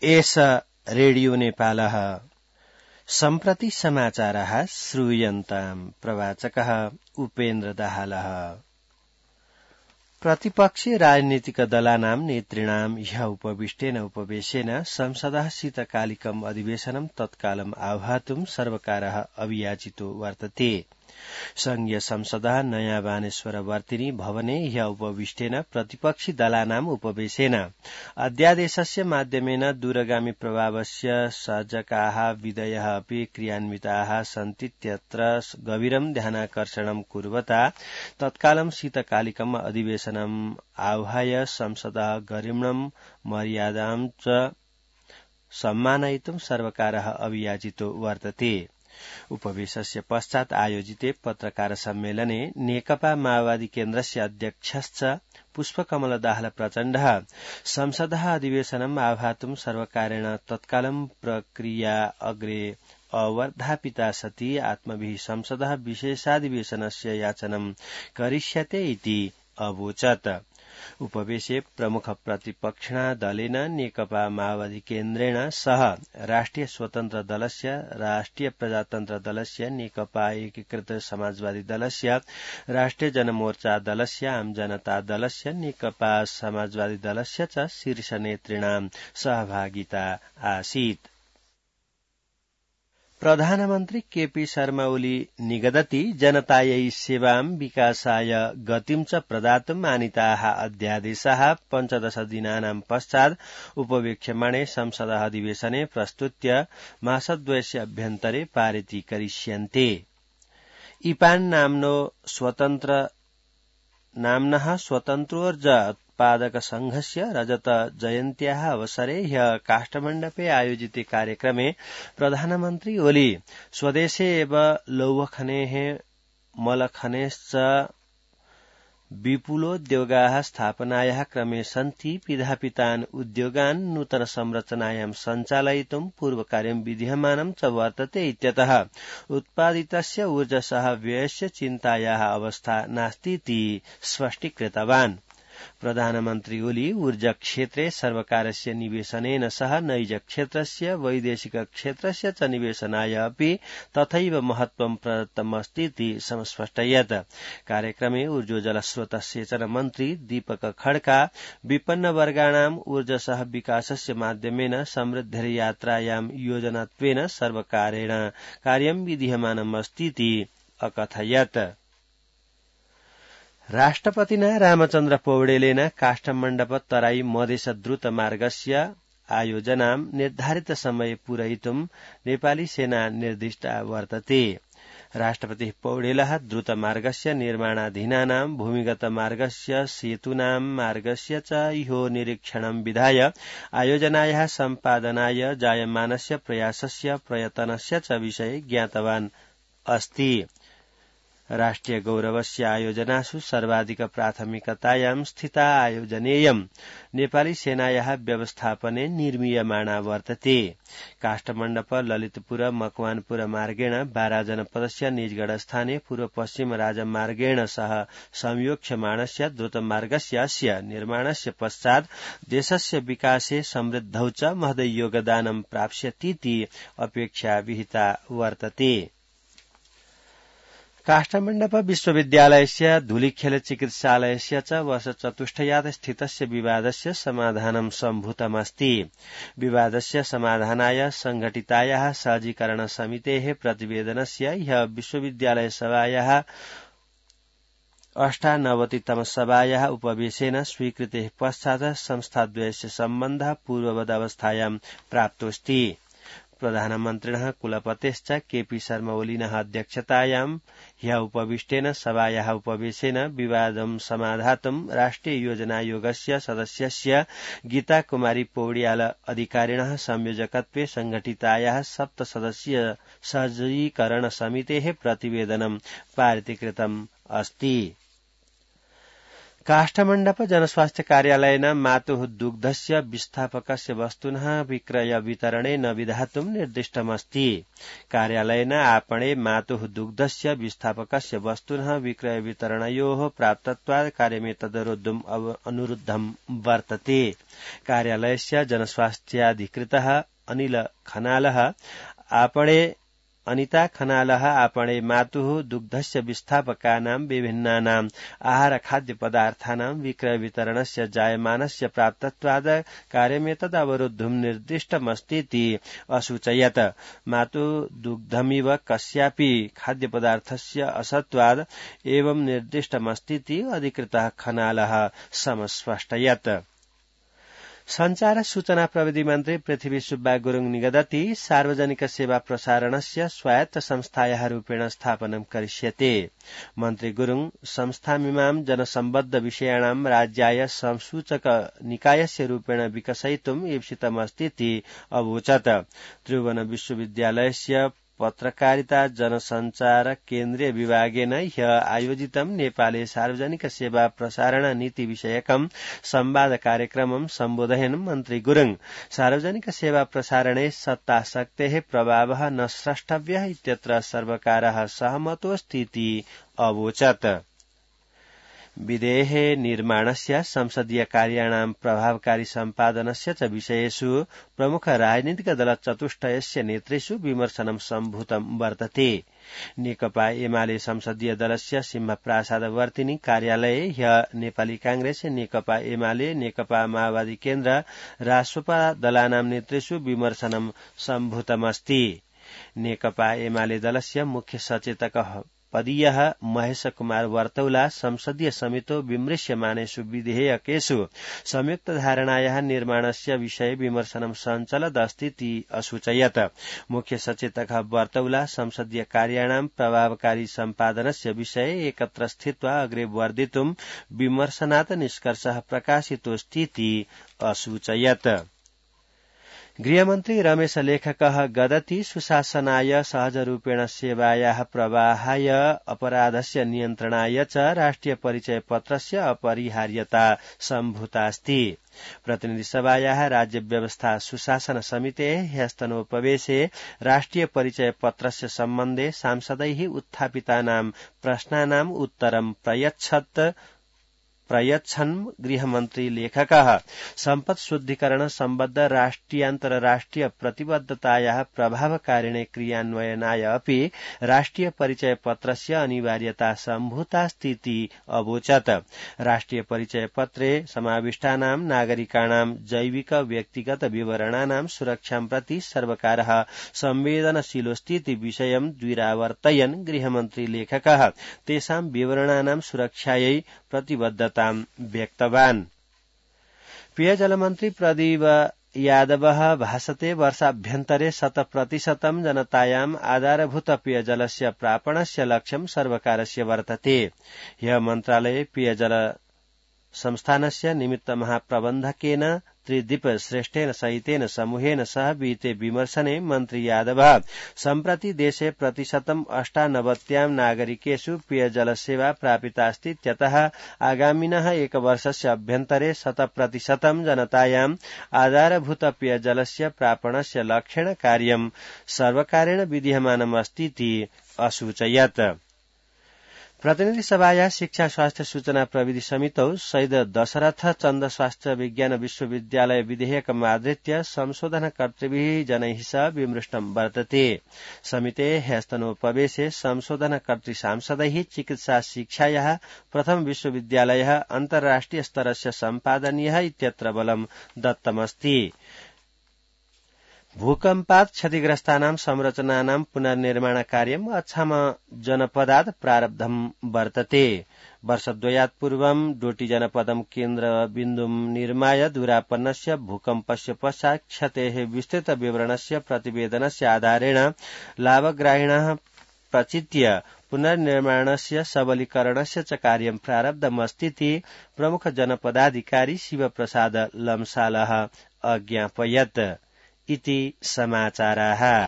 एष रेडियो नेपालः सम्प्रति समाचारः श्रूयन्ताम् प्रवाचकः उपेन्द्र दाहालः। प्रतिपक्षीय राजनीतिक दलानां नेतृणां ह्य उपविष्टेन उपवेशेन संसदः शीतकालिकम् अधिवेशनं तत्कालम् आह्वातुं सर्वकारः अभियाचितो वर्तते। संघीय संसदः नयाँ बानेश्वर वर्तिनी भवने ह्य उपविष्टेन प्रतिपक्षी दलानाम् उपवेशेन अध्यादेशस्य माध्यमेन दूरगामी प्रभावस्य सज्जकाः विधयः अपि क्रियान्विताः सन्तीत्यत्र गभीरं ध्यानाकर्षणं कुर्वता तत्कालं शीतकालिकम् अधिवेशनम् आह्वाय संसदः गरिम्णं मर्यादां च सम्मानयितुं सर्वकारः अभियाचितो वर्तते। उपवेशस्य पश्चात् आयोजिते पत्रकार सम्मेलने नेकपा माओवादी केन्द्रस्य अध्यक्षश्च पुष्पकमल दाहाल प्रचण्डः संसदः अधिवेशनम् आह्वातुं सर्वकारेण तत्कालं प्रक्रिया अग्रे अवर्धापिता सति आत्मभिः संसदः विशेषाधिवेशनस्य याचनं करिष्यते इति अवोचत्। उपवेशे प्रमुख प्रतिपक्षिणा दलेन नेकपा माओवादी केन्द्रेण सह राष्ट्रिय स्वतन्त्र दलस्य, राष्ट्रिय प्रजातन्त्र दलस्य, नेकपा एकीकृत समाजवादी दलस्य, राष्ट्रिय जनमोर्चा दलस्य, आम जनता दलस्य, नेकपा समाजवादी दलस्य च शीर्ष नेतृणां सहभागिता आसीत्। प्रधानमन्त्री केपी शर्मा ओली निगदति जनतायै सेवां विकासाय गतिं च प्रदातुम् आनीताः अध्यादेशाः 15 दिनानां पश्चात् उपवेक्ष्यमाणे संसदः अधिवेशने प्रस्तुत्य मासद्वयस्य अभ्यन्तरे पारितीकरिष्यन्ते। इपान नाम्नः स्वतन्त्रोर्जा उत्पादक संघस्य रजत जयन्त्याः अवसरे ह्य काष्ठमण्डपे आयोजिते कार्यक्रमे प्रधानमन्त्री ओली स्वदेशे एव लौहखनेः मलखनेश्च विपुलोद्योगाः स्थापनायाः क्रमे सन्ति पिधापितान् उद्योगान् नूतन संरचनायां सञ्चालयितुं पूर्वकार्यं विधीयमानं च वर्तते इत्यतः उत्पादितस्य ऊर्जसः व्ययस्य चिन्तायाः अवस्था नास्तीति स्पष्टीकृतवान्। प्रधानमन्त्री ओली ऊर्जा क्षेत्रे सर्वकारस्य निवेशनेन सह नैज क्षेत्रस्य वैदेशिक क्षेत्रस्य च निवेशनाय अपि तथैव महत्वं प्रदत्तमस्तीति संस्पष्टयत्। कार्यक्रमे ऊर्जोजलस्रोत सेचन मन्त्री दीपक खड्का विपन्नवर्गाणाम् ऊर्जसः विकासस्य माध्यमेन समृद्धिर्यात्रायां योजनात्वेन सर्वकारेण कार्यं विधीयमानमस्तीति अकथयत्। राष्ट्रपतिना रामचन्द्र पौडेलेन काष्ठमण्डप तराई मधेस द्रुत मार्गस्य आयोजनां निर्धारित समये पूरयितुं नेपाली सेना निर्दिष्टा वर्तते। राष्ट्रपतिः पौडेलः द्रुत मार्गस्य निर्माणाधीनानां भूमिगत मार्गस्य सेतूनां मार्गस्य च इहो निरीक्षणं विधाय आयोजनायाः सम्पादनाय जायमानस्य प्रयासस्य प्रयतनस्य च विषये ज्ञातवान् अस्ति। राष्ट्रिय गौरवस्य आयोजनासु सर्वाधिक प्राथमिकतायां स्थिता आयोजनेयं नेपाली सेनायाः व्यवस्थापने निर्मीयमाणा वर्तते। काष्ठमण्डप ललितपुर मकवानपुर मार्गेण बारा जनपदस्य निजगढ स्थाने पूर्व पश्चिम राजमार्गेण सह संयोक्ष्यमाणस्य द्रुतमार्गस्य अस्य निर्माणस्य पश्चात् देशस्य विकासे समृद्धौ च महदै योगदानं प्राप्स्यतीति अपेक्षा विहिता वर्तते। काष्ठमण्डप विश्वविद्यालयस्य धूलिखेल चिकित्सालयस्य च वर्षचतुष्टयात् स्थितस्य विवादस्य समाधानं सम्भूतमस्ति। विवादस्य समाधानाय संघटितायाः सहजीकरण समितेः प्रतिवेदनस्य ह्य विश्वविद्यालय सभायाः 98तम सभायाः उपवेशेन स्वीकृतेः पश्चात् संस्थाद्वयस्य सम्बन्धः पूर्ववदवस्थायां प्राप्तोऽस्ति। प्रधानमन्त्रिणः कुलपतेश्च केपी शर्मा ओलिनः अध्यक्षतायां ह्य उपविष्टेन सभायाः उपवेशेन विवादं समाधातुं राष्ट्रिय योजनायोगस्य सदस्यस्य गीता कुमारी पौड्याल अधिकारिणः संयोजकत्वे संघटितायाः 7 सदस्यीय सहजीकरण समितेः प्रतिवेदनं पारितीकृतम् अस्ति। काष्ठमण्डप जनस्वास्थ्य कार्यालयेन मातुः दुग्धस्य विस्थापकस्य वस्तुनः विक्रय वितरणेन विधातुं निर्दिष्टमस्ति। कार्यालयेन आपणे मातुः दुग्धस्य विस्थापकस्य वस्तुनः विक्रय वितरणयोः प्राप्तत्वात् कार्यमेतदरोद्धुम् अनुरुद्धं वर्तते। कार्यालयस्य जनस्वास्थ्याधिकृतः अनिल खनालः अनिता खनालः आपणे मातुः दुग्धस्य विस्थापकानां विभिन्नानाम् आहार खाद्य पदार्थानां विक्रय वितरणस्य जायमानस्य प्राप्तत्वाद कार्यमेतद् अवरोद्धुम् निर्दिष्टमस्तीति असूचयत्। मातुः दुग्धमिव कस्यापि खाद्य पदार्थस्य असत्वाद एवं निर्दिष्टमस्तीति अधिकृतः खनालः समस्पष्टयत्। संचार सूचना प्रविधि मन्त्री पृथ्वी सुब्बा गुरुङ निगदति सार्वजनिक सेवा प्रसारणस्य स्वायत्त संस्थायाः रूपेण स्थापनं करिष्यते। मन्त्री गुरुङ संस्थामिमां जनसम्बद्ध विषयाणां राज्याय संसूचक निकायस्य रूपेण विकसयितुम् ईप्सितमस्तीति अवोचत्। त्रिभुवन विश्वविद्यालयस्य पत्रकारिता जनसञ्चार केन्द्रीय विभागेन ह्य आयोजितं नेपाले सार्वजनिक सेवा प्रसारण नीति विषयकं संवाद कार्यक्रमं सम्बोधयन् मन्त्री गुरुङ सार्वजनिक सेवा प्रसारणे सत्ताशक्तेः प्रभावः न स्रष्टव्यः इत्यत्र सर्वकारः सहमतोऽस्तीति अवोचत्। विधेः निर्माणस्य संसदीय कार्याणां प्रभावकारी सम्पादनस्य च विषयेषु प्रमुख राजनीतिक दलचतुष्टयस्य नेतृषु विमर्शनं सम्भूतं वर्तते। नेकपा एमाले संसदीय दलस्य सिंहप्रासादवर्तिनी कार्यालये ह्य नेपाली कांग्रेस, नेकपा एमाले, नेकपा माओवादी केन्द्र, रासोपा दलानां नेतृषु विमर्शनं सम्भूतमस्ति। नेकपा एमाले दलस्य मुख्य सचेतकः पदीयः महेश कुमार वर्तौला संसदीय समितो विमृश्यमानेषु विधेयकेषु संयुक्त धारणायाः निर्माणस्य विषये विमर्शनं सञ्चलदस्तीति असूचयत्। मुख्य सचेतकः वर्तौला संसदीय कार्याणां प्रभावकारी सम्पादनस्य विषये एकत्र स्थित्वा अग्रे वर्धितुं विमर्शनात् निष्कर्षः प्रकाशितोऽस्तीति असूचयत्। गृहमन्त्री रमेश लेखकः गदति सुशासनाय सहजरूपेण सेवायाः प्रवाहाय अपराधस्य नियन्त्रणाय च राष्ट्रिय परिचय पत्रस्य अपरिहार्यता सम्भूतास्ति। प्रतिनिधि सभायाः राज्य व्यवस्था सुशासन समितेः ह्यस्तनोपवेशे राष्ट्रिय परिचय पत्रस्य सम्बन्धे सांसदैः उत्थापितानां प्रश्नानाम् उत्तरं प्रयच्छन् गृहमन्त्री लेखकः सम्पत् शुद्धिकरण सम्बद्ध राष्ट्रियान्तरराष्ट्रिय प्रतिबद्धतायाः प्रभावकारिणे क्रियान्वयनाय अपि राष्ट्रिय परिचय पत्रस्य अनिवार्यता सम्भूतास्तीति अवोचत्। राष्ट्रिय परिचय पत्रे समाविष्टानां नागरिकाणां जैविक व्यक्तिगत विवरणानां सुरक्षां प्रति सर्वकारः संवेदनशीलोऽस्तीति विषयं द्विरावर्तयन् गृहमन्त्री लेखकः तेषां विवरणानां सुरक्षायै प्रतिबद्धतां व्यक्तवान्। पेयजलमन्त्री प्रदीप यादवः भाषते वर्षाभ्यन्तरे 100% जनतायाम् आधारभूत पेयजलस्य प्रापणस्य लक्ष्यं सर्वकारस्य वर्तते। ह्यः मन्त्रालये पेयजल संस्थानस्य निमित्त महाप्रबन्धकेन त्रिदीप श्रेष्ठेन सहितेन समूहेन सह विहिते विमर्शने मन्त्री यादवः सम्प्रति देशे 98% नागरिकेषु पेयजलसेवा प्रापितास्ति इत्यतः आगामिनः एकवर्षस्य अभ्यन्तरे 100% जनतायाम् आधारभूत पेयजलस्य प्रापणस्य लक्ष्येण कार्यं सर्वकारेण विधीयमानमस्तीति असूचयत्। प्रतिनिधि सभाया शिक्षा स्वास्थ्य सूचना प्रविधि समितौ शहीद दशरथ चन्द स्वास्थ्य विज्ञान विश्वविद्यालय विधेयकमाधृत्य संशोधनकर्तृभिः जनैः सह विमृष्टं वर्तते। समिते ह्यस्तनोपवेशे संशोधनकर्तृ सांसदैः चिकित्सा शिक्षायाः प्रथम विश्वविद्यालयः अन्तर्राष्ट्रिय स्तरस्य सम्पादनीयः इत्यत्र बलं दत्तमस्ति। भूकम्पात् क्षतिग्रस्तानां संरचनानां पुनर्निर्माण कार्यम् अछाम जनपदात् प्रारब्धं वर्तते। वर्षद्वयात् पूर्वं डोटी जनपदं केन्द्रबिन्दुं निर्माय दुरापन्नस्य भूकम्पस्य पश्चात् क्षतेः विस्तृत विवरणस्य प्रतिवेदनस्य आधारेण लाभग्राहिणः प्रचित्य पुनर्निर्माणस्य सबलीकरणस्य च कार्यं प्रारब्धमस्तीति प्रमुख जनपदाधिकारी शिवप्रसाद लम्सालः अज्ञापयत्। इति समाचाराः।